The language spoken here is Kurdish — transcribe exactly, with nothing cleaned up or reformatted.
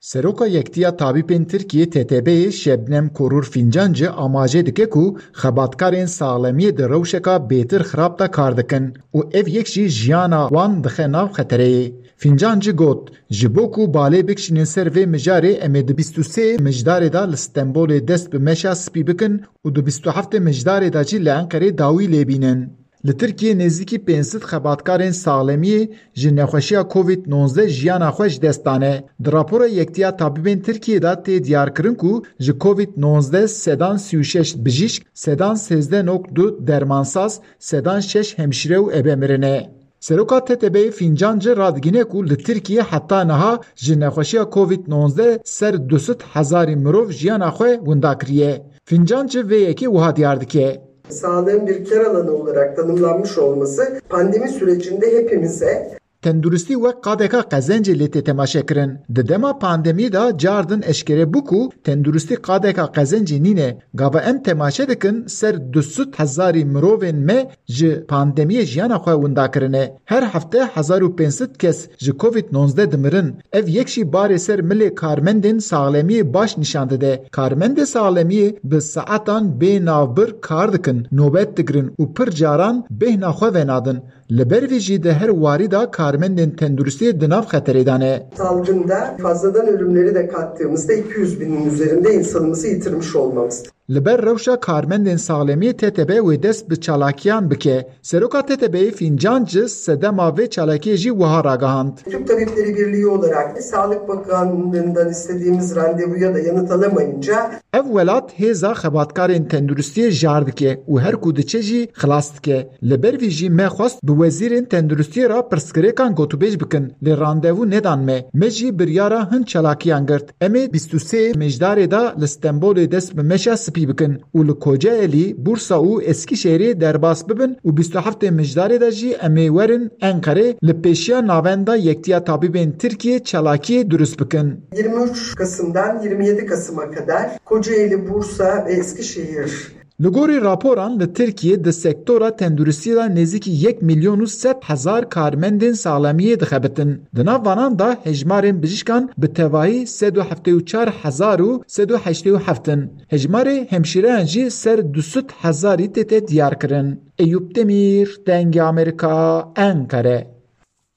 Seroka Yektiya Tabîbên Tirkiyê T T B'yê Şebnem Korur Fincancı amaje dike ku xebatkarên saxlemiyê di rewşeka bêtir xirab de kar dikin û ev yek jî jiyana wan dixe nav xetereyê. Fincancı got, ji bo ku balê bikişînin ser vê mijarê, em ê di bîst û sê mijdarê de li Stenbolê dest bi meşa spî bikin û di bîst û heftê mijdarê de jî li Enqerê dawî lê bînin. Li Tirkiyê nêzîkî pênc sed xebatkarên saxlemiyê ji nexweşiya Covid nozdeh jiyana xwe ji dest dane. Di rapora Yektiya Tabîbên Tirkiyê de tê diyarkirin ku ji Covid nozdeh sedan sî û şeş bijîşk, sedan sêzdeh nok du dermansaz, sedan şeş hemşîre û ebe mirine. Seroka T T B'yê Fincancı radigihîne ku li Tirkiyê heta niha ji nexweşiya Covid nozdeh ser du sed hezarî mirov jiyana xwe winda kiriye. Fincancı vê yekê wiha diyar dike. Sağlığın bir kar alanı olarak tanımlanmış olması pandemi sürecinde hepimize Tenduristî wek qadeka qezencê lê tê temaşekirin. Di dema pandemiyê de cardin eşkere bû ku tenduristî qadeka qezencê nîne. Gava em temaşe dikin, ser du sed hezarî mirovên me ji pandemiyê jiyana xwe winda kirine. Her hefte hezar û pênc sed kes ji Covid nozdeh dimirin. Ev yek jî barê ser milê karmendên saxlemiyê baş nîşan dide. Karmendê saxlemiyê bi saetan bê navbir kar dikin, nobet digirin û pir caran bêhna xwe venadin. Li ber vê jî di her warî de karmendên tenduristiyê di nav xeterê de ne. Salgında fazladan ölümleri de kattığımızda iki yüz binin üzerinde insanımızı yitirmiş olmamızdır. Li ber rewşa karmendên saxlemiyê T T B wê dest bi çalakiyan bike. Seroka T T B'yê Fincancı sedema vê çalakiyê jî wiha ragihand. Türk Tabipleri Birliği olarak Sağlık Bakanlığından istediğimiz randevuya da yanıt alamayınca Ev welat hêza xebatkarên tenduristiyê jar dike û her ku diçe jî xilas dike. Li ber vî jî me xwest bi wezîrên tenduristiyê re pirsgirêkan gotûbêj bikin, lê randevû nedan me. Me jî biryara hin çalakiyan girt. Em ê bîst û sê mijdarê de li Stenbolê dest bi meşa spî bikin û li Kocaelî, Bursa û Eskişehirê derbas bibin û bîst û heftê mijdarê de jî em ê werin Enqerê, li pêşiya Navenda Yektiya Tabîbên Tirkiyê çalakiyê durust bikin. Yirmi üç Kasım'dan yirmi yedi Kasım'a kadar Kocaeli, Bursa ve Eskişehir. Li gorî raporan, li Tirkiyê di sektora tenduristiyê de nêzîkî yek milyon û sed hezar karmendên saxlemiyê dixebitin. Di nav vanan de hejmarên bijîşkan bi tevahî sed û heftê û çar hezar û sed û heştê û heft in. Hejmarê hemşîreyan jî ser du sed hezarî tête diyarkirin. Eyûp Demîr, Dengê Amerîka, Enqere.